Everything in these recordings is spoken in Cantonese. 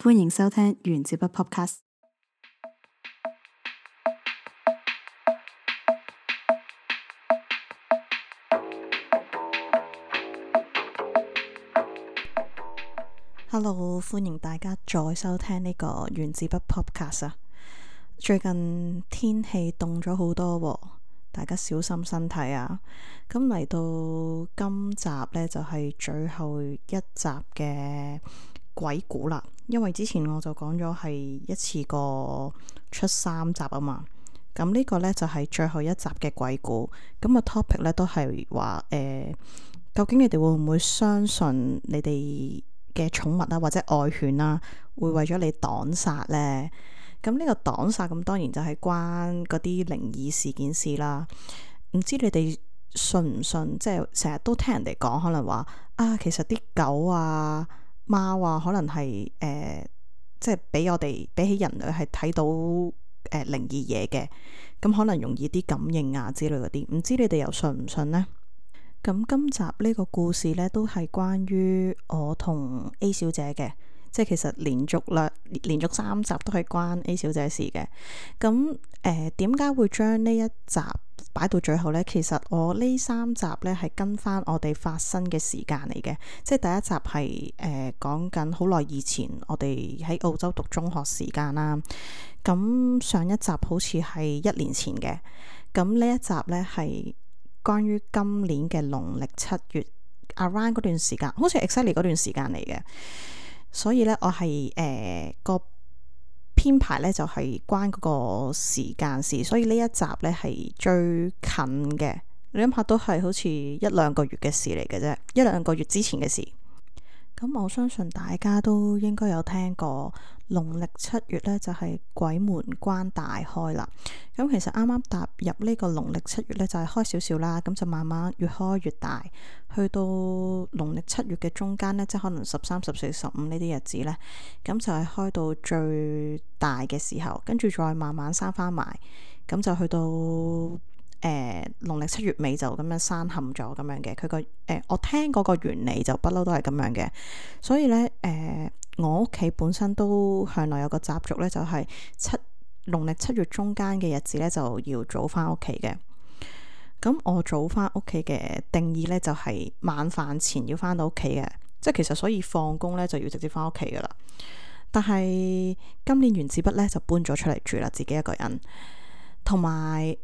歡迎收聽原子筆 Podcast。Hello， 歡迎大家再收聽呢個原子筆 Podcast 啊！最近天氣凍咗好多喎，大家小心身體啊！咁嚟到今集呢，就係最後一集嘅鬼故啦，因為之前我就講咗係一次過出3集啊嘛，咁呢個呢，就係最後一集嘅鬼故。咁個 topic 呢，都係話究竟你哋會唔會相信你哋嘅寵物啊或者愛犬啊會為咗你擋煞呢？咁呢個擋煞咁當然就係關嗰啲靈異事件事啦。唔知你哋信唔信？即係成日都聽人哋講，可能話啊，其實啲狗啊、貓啊，可能係即係俾我哋比起人類係睇到靈異嘢嘅，咁可能容易啲感應啊之類嗰啲。唔知你哋又信唔信呢？咁今集呢個故事呢，都係關於我同 A 小姐嘅，即係其實連續3集都係關 A 小姐事嘅。咁點解會將呢一集擺到最後呢？其實我呢3集呢係跟翻我哋發生嘅時間嚟嘅，即係第一集係講緊好耐以前，我哋喺澳洲讀中學時間啦。咁上一集好似係1年前嘅，咁呢一集呢係關於今年嘅農曆7月 around 嗰段時間，好似 exactly 嗰段時間嚟嘅。所以呢，我係個編排呢就係關嗰個時間事，所以呢一集呢係最近嘅。你諗下，都係好似1-2個月嘅事嚟嘅啫，1-2個月之前嘅事。咁我相信大家都應該有聽過農曆7月呢就係鬼門關大開啦。咁其實啱啱踏入呢個農曆7月呢，就係開少少啦，咁就慢慢越開越大，去到農曆7月嘅中間呢，即係可能13、14、15呢啲日子呢，咁就係開到最大嘅時候，跟住再慢慢閂翻埋，咁就去到農曆7月尾就咁樣閂冚咗咁樣嘅。佢個我聽嗰個原理就不嬲都係咁樣嘅。所以呢，我屋企本身都向來有個習俗呢，就係農曆7月中間嘅日子呢，就要早翻屋企嘅。咁我早翻屋企嘅定義呢，就係晚飯前要翻到屋企嘅，即係其實所以放工呢，就要直接翻屋企噶啦。但係今年原子筆呢，就搬咗出嚟住啦，自己一個人，同埋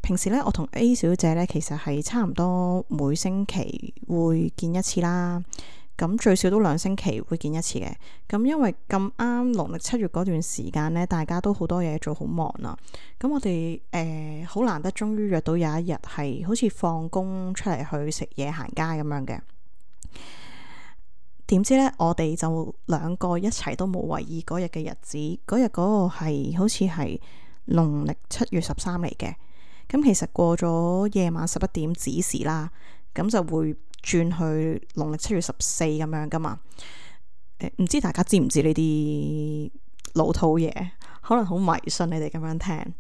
平時咧，我同 A 小姐咧，其實係差唔多每星期會見一次啦。咁最少都2星期會見一次嘅。咁因為咁啱農曆7月嗰段時間咧，大家都好多嘢做，好忙啊。咁我哋好難得，終於約到有一日係好似放工出嚟去食嘢行街咁樣嘅。點知咧，我哋就2個一齊都冇為意嗰日嘅日子。嗰日嗰個係好似係農曆7月13嚟嘅。咁其實過咗夜晚11點子時啦，咁就會轉去農曆7月14咁樣噶嘛。唔知大家知唔知呢啲老土嘢？可能好迷信你哋咁樣聽。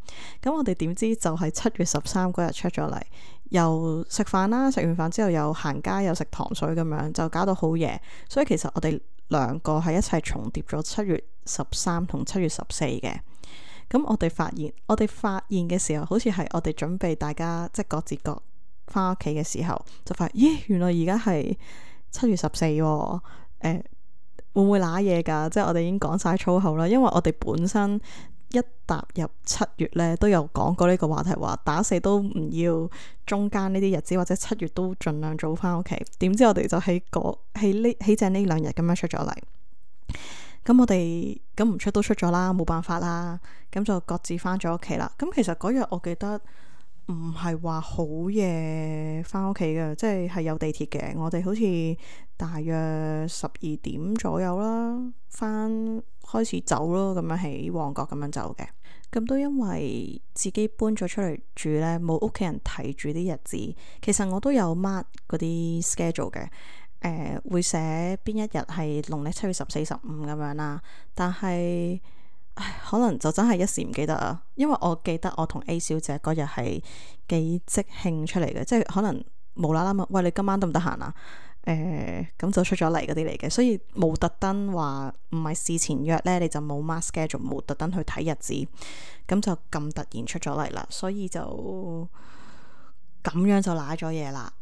咁我哋點知就係7月13嗰日出咗嚟，又食飯啦，食完飯之後又行街，又食糖水咁樣，就搞到好夜。所以其實我哋2個係一齊重疊咗7月13同7月14嘅。咁我哋發現嘅時候，好似係我哋準備大家即係各自各翻屋企嘅時候，就發現咦，原來而家係7月14喎。會唔會揦嘢㗎？即係我哋已經講晒粗口啦，因為我哋本身一踏入7月呢，都有講過呢個話題，話打死都唔要中間呢啲日子，或者7月都盡量早翻屋企。點知我哋就喺正呢2日咁樣出咗嚟。咁我哋咁唔出都出咗啦，冇辦法啦，咁就各自翻咗屋企啦。咁其實嗰日我記得唔係話好夜翻屋企嘅，即係有地鐵嘅。我哋好似大約12點左右啦，開始走咯，咁樣喺旺角咁樣走嘅。咁都因為自己搬咗出嚟住呢，冇屋企人睇住啲日子。其實我都有 mark 嗰啲 schedule 嘅。會寫邊一日係農曆7月14、15咁樣啦，但係可能就真係一時唔記得啊。因為我記得我同 A 小姐嗰日係幾即興出嚟嘅，即係可能無啦啦問，喂，你今晚得唔得閒啊？咁就出咗嚟嗰啲嚟嘅，所以冇特登話唔係事前約呢，你就冇 mark schedule，冇特登去睇日子，咁就咁突然出咗嚟啦，所以就咁樣就賴咗嘢啦。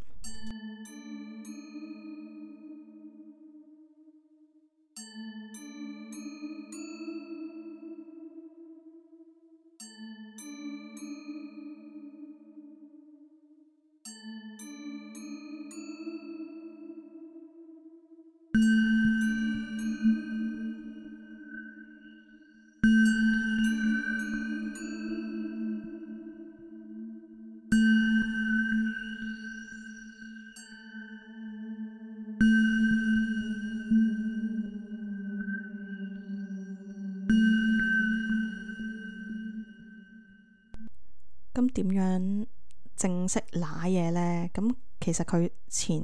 咁點樣正式揦嘢呢？咁其實佢前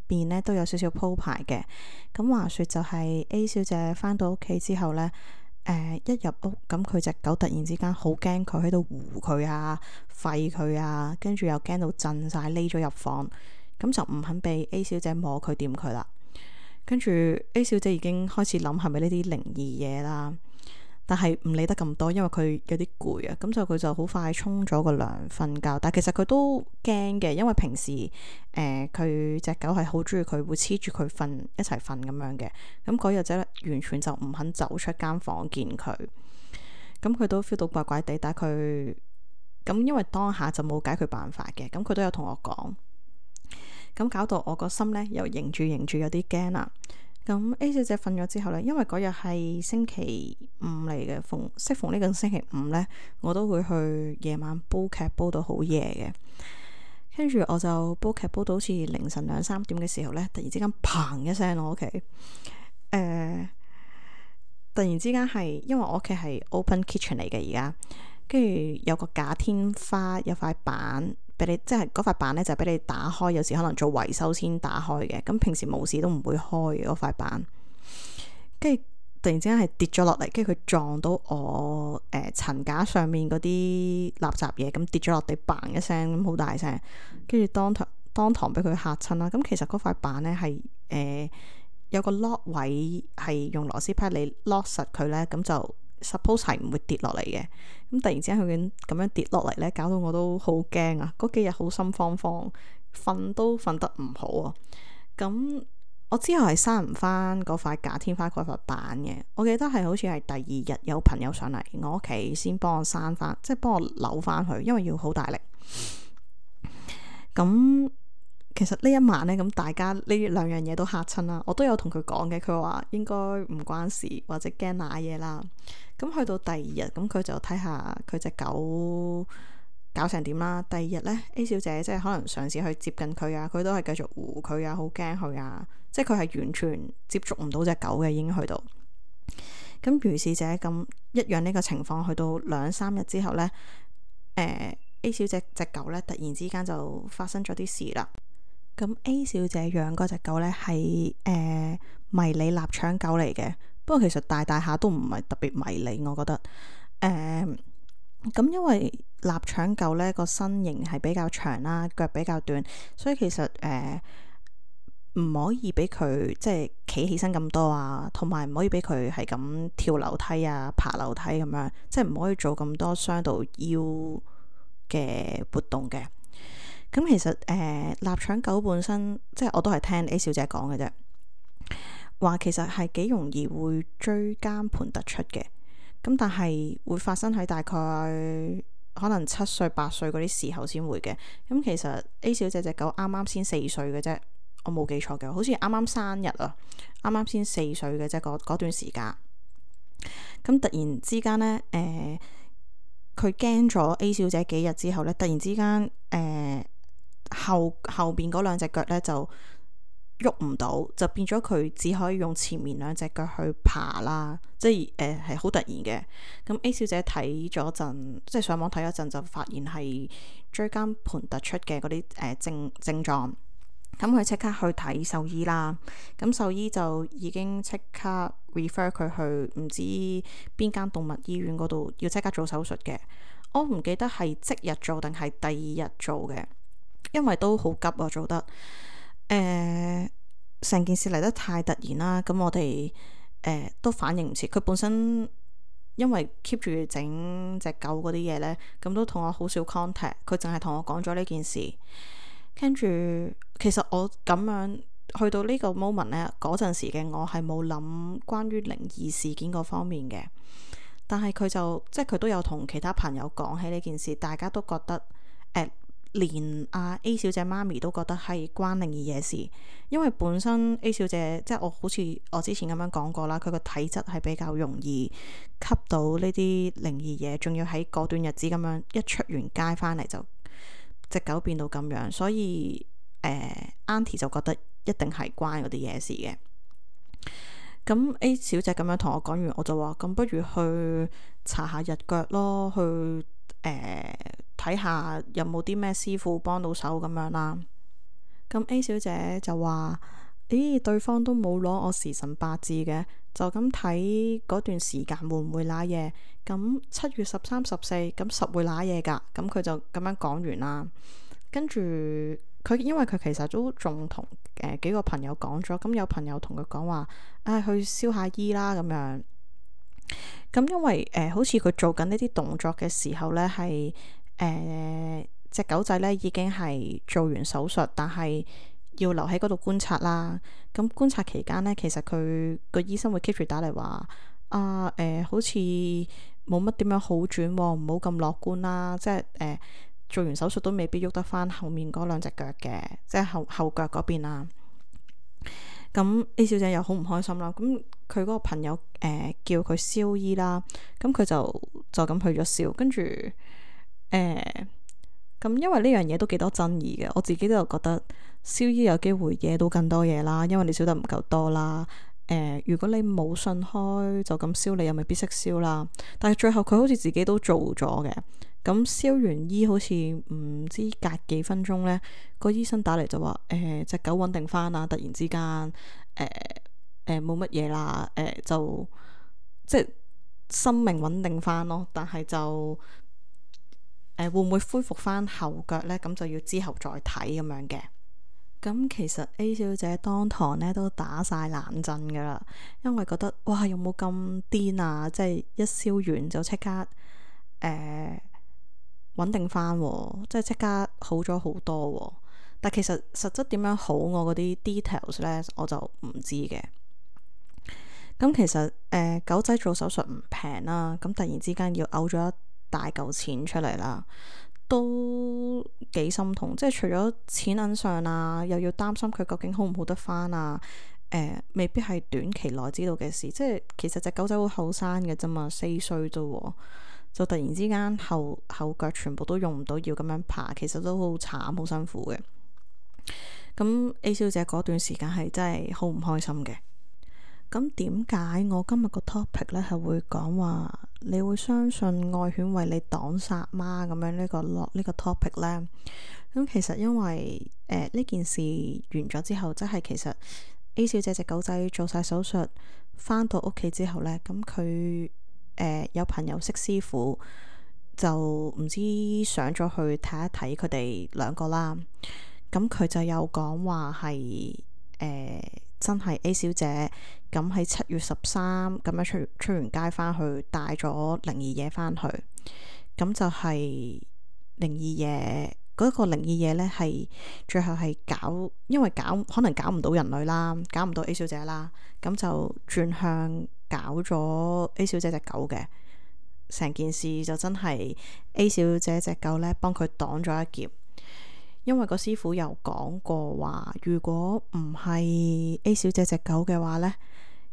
邊呢都有少少鋪排嘅。咁話說就係 A 小姐返到屋企之後呢，一入屋咁佢隻狗突然之間好驚佢喺度護佢啊、吠佢啊，跟住又驚到震晒，匿咗入房，咁就唔肯俾 A 小姐摸佢掂佢啦。跟住 A 小姐已經開始諗係咪呢啲靈異嘢啦。但係唔理得咁多，因為佢有啲攰啊，咁就佢就好快沖咗個涼瞓覺。但係其實佢都驚嘅，因為平時佢隻狗係好中意佢，會黐住佢瞓一齊瞓咁樣嘅。咁嗰日仔完全就唔肯走出間房見佢，咁佢都 feel 到怪怪地。但係佢咁因為當下就冇解決辦法嘅，咁佢都有同我講，咁搞到我個心呢又迎住有啲驚啦。咁 A 小姐瞓咗之後呢，因為嗰日係星期五嚟嘅，適逢呢個星期五呢，我都會去夜晚煲劇煲到好夜嘅。跟住我就煲劇煲到好似凌晨2-3點嘅時候呢，突然之間砰一聲我屋企，突然之間係因為我屋企係 open kitchen 嚟嘅而家，跟住有個假天花，有塊板。俾你即係嗰塊板咧，就俾你打開，有時可能做維修先打開嘅。咁平時冇事都唔會開嗰塊板。跟住突然之間係跌咗落嚟，跟住佢撞到我層架上面嗰啲垃圾嘢，咁跌咗落地，嘭一聲咁好大聲。跟住當堂俾佢嚇親啦。咁其實嗰塊板咧係有個 lock 位，係用螺絲批你 lock 實佢咧，咁就 suppose 係唔會跌落嚟嘅。咁突然之間佢咁樣跌落嚟咧，搞到我都好驚啊！嗰幾日好心慌慌，瞓都瞓得唔好啊！咁我之後係閂唔翻嗰塊假天花嗰塊板嘅。我記得係好似係第二日有朋友上嚟我屋企先幫我閂翻，即係幫我扭翻去，因為要好大力。咁其實呢一晚呢，咁大家呢兩樣嘢都嚇親啦。我都有同佢講嘅，佢話應該唔關事，或者驚瀨嘢啦。咁去到第二日，咁佢就睇下佢隻狗搞成點啦。第二日呢 A 小姐即係可能嘗試去接近佢啊，佢都係繼續護佢啊，好驚佢啊，即係佢係完全接觸唔到隻狗嘅，已經去到。咁如是者咁一樣呢個情況，去到2-3日之後呢，A 小姐隻狗呢突然之間就發生咗啲事啦。咁 A 小姐養嗰隻狗呢係迷你臘腸狗嚟嘅。不過其實大下都唔係特別迷你，我覺得咁因為臘腸狗呢個身形係比較長啦，腳比較短，所以其實唔可以俾佢即係企起身咁多啊，同埋唔可以俾佢係咁跳樓梯啊、爬樓梯咁樣，即係唔可以做咁多傷到腰嘅活動嘅。咁其實臘腸狗本身即係我都係聽 A 小姐講嘅啫。話其實係幾容易會椎間盤突出嘅，咁但係會發生喺大概可能7歲8歲嗰啲時候先會嘅。咁其實 A 小姐隻狗啱啱先4歲嘅啫，我冇記錯嘅，好似啱啱生日啊，啱啱先4歲嘅啫，嗰段時間。咁突然之間呢，佢驚咗 A 小姐幾日之後呢，突然之間後邊嗰兩隻腳呢就喐唔到，就變咗佢只可以用前面兩隻腳去爬啦，即係係好突然嘅。咁 A 小姐睇咗陣，即係上網睇咗陣，就發現係椎間盤突出嘅嗰啲症狀。咁佢即刻去睇獸醫啦。咁獸醫就已經即刻 refer 佢去唔知邊間動物醫院嗰度，要即刻做手術嘅。我唔記得係即日做定係第二日做嘅，因為都好急啊，做得。成件事嚟得太突然啦，咁我哋都反應唔切。佢本身因為 keep 住整隻狗嗰啲嘢呢，咁都同我好少 contact。佢淨係同我講咗呢件事，跟住其實我咁樣去到呢個 moment 呢，嗰陣時嘅我係冇諗關於靈異事件嗰方面嘅。但係佢就即係佢都有同其他朋友講起呢件事，大家都覺得連阿 A 小姐媽咪都覺得係關靈異嘢事，因為本身 A 小姐即係我好似我之前咁樣講過啦，佢個體質係比較容易吸到呢啲靈異嘢，仲要喺嗰段日子咁樣一出完街翻嚟就隻狗變到咁樣，所以Auntie 就覺得一定係關嗰啲嘢事嘅。咁 A 小姐咁樣同我講完，我就話咁不如去查下日腳咯，去睇下有冇啲咩師傅幫到手咁樣啦。咁 A 小姐就話：咦，對方都冇攞我時辰八字嘅，就咁睇嗰段時間會唔會瀨嘢？咁7月13、14咁實會瀨嘢㗎。咁佢就咁樣講完啦。跟住佢因為佢其實都仲同幾個朋友講咗，咁有朋友同佢講話，去燒下衣啦咁樣。咁因為好似佢做緊呢啲動作嘅時候呢，係隻狗仔呢已經係做完手術，但係要留喺嗰度觀察啦。咁觀察期間呢，其實佢個醫生會 keep 住打嚟話好似冇乜點樣好轉喎，唔好咁樂觀啦。即係做完手術都未必喐得翻後面嗰兩隻腳嘅，即係後腳嗰邊啦。咁 A 小姐又好唔開心啦。咁佢嗰個朋友叫佢燒衣啦，咁佢就咁去咗燒。跟住咁因為呢樣嘢都幾多爭議嘅，我自己都有覺得燒衣有機會惹到更多嘢啦，因為你燒得唔夠多啦。如果你冇信開就咁燒，你又未必識燒啦。但係最後佢好似自己都做咗嘅。咁燒完衣好似唔知隔幾分鐘呢，個醫生打嚟就話隻狗穩定翻啦，突然之間冇乜嘢啦，就即係生命穩定翻咯。但係就會唔會恢復翻後腳呢？咁就要之後再睇咁樣嘅。咁其實 A 小姐當堂呢都打晒冷震噶啦，因為覺得哇，有冇咁癲啊？即係一燒完就即刻穩定翻，即係即刻好咗好多。但其實實質點樣好，我嗰啲 details 呢，我就唔知嘅。咁其實狗仔做手術唔平啦，咁突然之間要嘔咗一大嚿錢出嚟啦，都幾心痛。即係除咗錢銀上啊，又要擔心佢究竟好唔好得翻啊。未必係短期內知道嘅事。即係其實隻狗仔好後生嘅啫嘛，4歲啫，就突然之間後腳全部都用唔到，要咁樣爬，其實都好慘，好辛苦嘅。咁 A 小姐嗰段時間係真係好唔開心嘅。咁點解我今日個 topic 呢係會講話你會相信愛犬為你擋煞嗎？咁樣呢個 topic 呢？咁其實因為呢件事完咗之後，即係其實 A 小姐隻狗仔做晒手術，返到屋企之後呢，咁佢有朋友識師傅，就唔知上咗去睇一睇佢哋兩個啦。咁佢就有講話係真係 A 小姐咁喺7月13咁樣出完街返去，帶咗靈異嘢返去。咁就係靈異嘢嗰個靈異嘢呢，係最後係因為可能搞唔到人類啦，搞唔到 A 小姐啦，咁就轉向搞咗 A 小姐隻狗嘅。成件事就真係 A 小姐隻狗呢幫佢擋咗一劫。因為個師傅有講過話，如果唔係 A 小姐隻狗嘅話呢，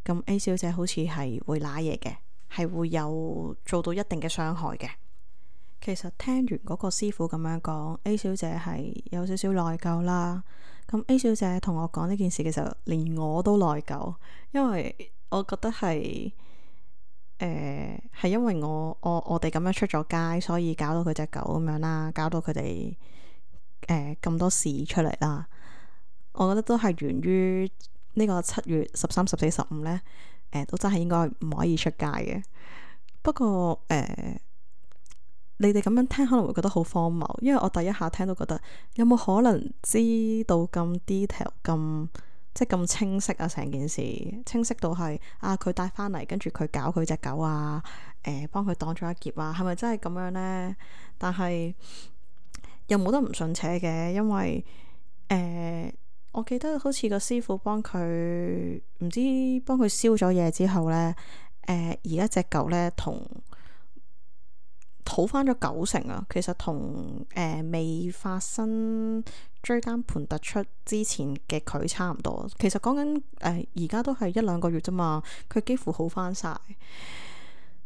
咁 A 小姐好似係會瀨嘢嘅，係會有做到一定嘅傷害嘅。其實聽完嗰個師傅咁樣講，A 小姐係有少少內疚啦。咁 A 小姐同我講呢件事嘅時候，連我都內疚，因為我覺得係係因為我哋咁樣出咗街，所以搞到佢隻狗咁樣啦，搞到佢哋咁多事出嚟啦。我覺得都係源於呢個7月13、14、15呢，都真係應該唔可以出街嘅。不過你哋咁樣聽可能會覺得好荒謬，因為我第一下聽都覺得有冇可能知道咁 detail 咁即係咁清晰啊，成件事清晰到係佢帶翻嚟，跟住佢搞佢隻狗啊，幫佢擋咗一劫啊，係咪真係咁樣呢？但係又冇得唔信邪嘅，因為我記得好似個師傅幫佢燒咗嘢之後呢，而家隻狗呢同好翻咗90%啊，其實同未發生椎間盤突出之前嘅佢差唔多。其實講緊而家都係1-2個月啫嘛，佢幾乎好翻晒。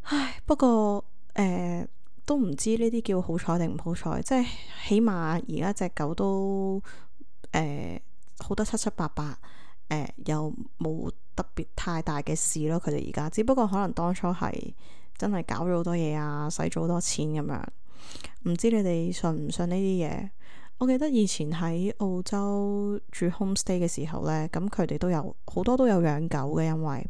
唉，不過都唔知呢啲叫好彩定唔好彩，即係起碼而家隻狗都好得七七八八，又冇特別太大嘅事咯。佢哋而家只不過可能當初係真係搞咗好多嘢啊，使咗好多錢咁樣。唔知你哋信唔信呢啲嘢？我記得以前喺澳洲住 homestay 嘅時候呢，咁佢哋都有好多都有養狗嘅，因為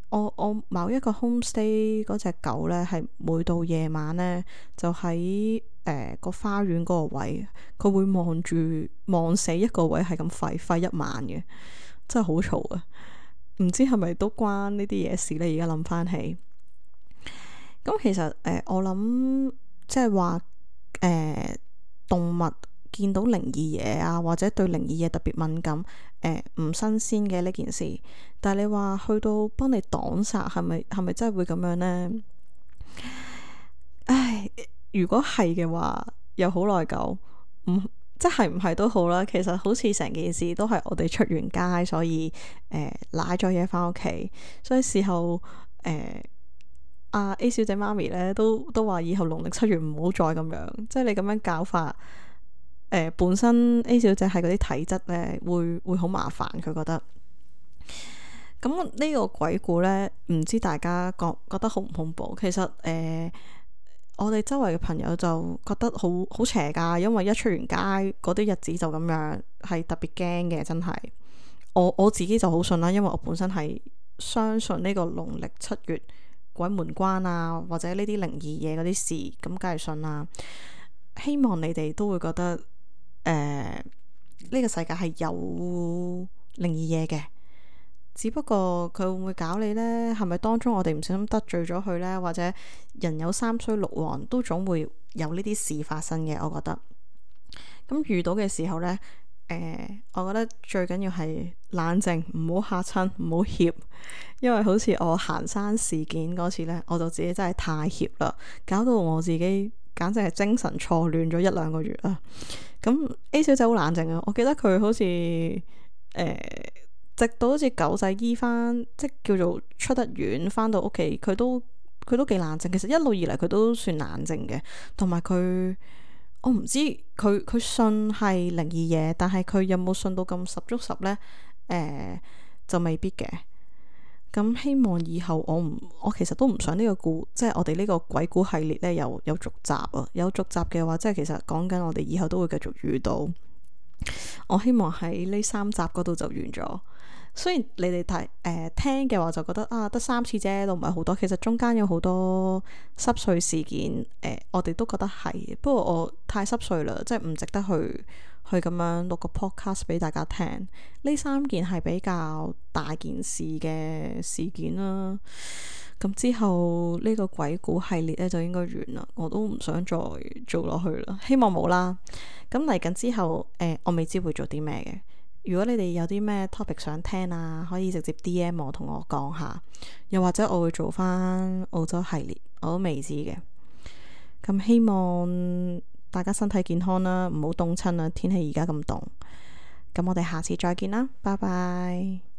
我某一個 homestay 嗰隻狗呢，係每到夜晚呢，就喺個花園嗰個位，佢會望死一個位，係咁吠一晚嘅，真係好嘈啊！唔知係咪都關呢啲嘢事呢？而家諗翻起，咁其實我諗即係話動物見到靈異嘢啊，或者對靈異嘢特別敏感，唔新鮮嘅呢件事。但係你話去到幫你擋煞，係咪真係會咁樣呢？唉，如果係嘅話，又好內疚。即係唔係都好啦。其實好似成件事都係我哋出完街，所以攋咗嘢翻屋企，所以事後A 小姐媽咪咧都話以後農曆7月唔好再咁樣，即係你咁樣搞法，本身 A 小姐係嗰啲體質咧會好麻煩，佢覺得。咁呢個鬼故呢，唔知大家覺得恐唔恐怖？其實我哋周圍嘅朋友就覺得好邪㗎，因為一出完街嗰啲日子就咁樣，係特別驚嘅，真係。我自己就好信啦，因為我本身係相信呢個農曆7月鬼門關啊，或者呢啲靈異嘢嗰啲事，咁梗係信啦。希望你哋都會覺得呢個世界係有靈異嘢嘅。只不過佢會唔會搞你呢？係咪當中我哋唔小心得罪咗佢呢？或者人有三衰六旺，都總會有呢啲事發生嘅。我覺得咁遇到嘅時候呢，我覺得最緊要係冷靜，唔好嚇親，唔好怯。因為好似我行山事件嗰次呢，我就自己真係太怯啦，搞到我自己簡直係精神錯亂咗1-2個月啦。咁 A 小姐好冷靜啊，我記得佢好似直到好似狗仔醫翻，即叫做出得院翻到屋企，佢都幾冷靜。其實一路以嚟佢都算冷靜嘅，同埋佢我唔知佢信係靈異嘢，但係佢有冇信到咁十足十呢？就未必嘅。咁希望以後我其實都唔想呢個即係我哋呢個鬼故系列呢有續集啊！有續集嘅話，即係其實講緊我哋以後都會繼續遇到。我希望喺呢3集嗰度就完咗。雖然你哋聽嘅話就覺得得3次啫，都唔係好多。其實中間有好多濕碎事件，我哋都覺得係。不過我太濕碎啦，即係唔值得去咁樣錄個 podcast 俾大家聽。呢3件係比較大件事嘅事件啦。咁之後呢個鬼故系列呢就應該完啦，我都唔想再做落去啦。希望冇啦。咁嚟緊之後，我未知會做啲咩嘅。如果你哋有啲咩 topic 想聽啊，可以直接 DM 我同我講下，又或者我會做翻澳洲系列，我都未知嘅。咁希望大家身體健康啦，唔好凍親啦，天氣而家咁凍。咁我哋下次再見啦，拜拜。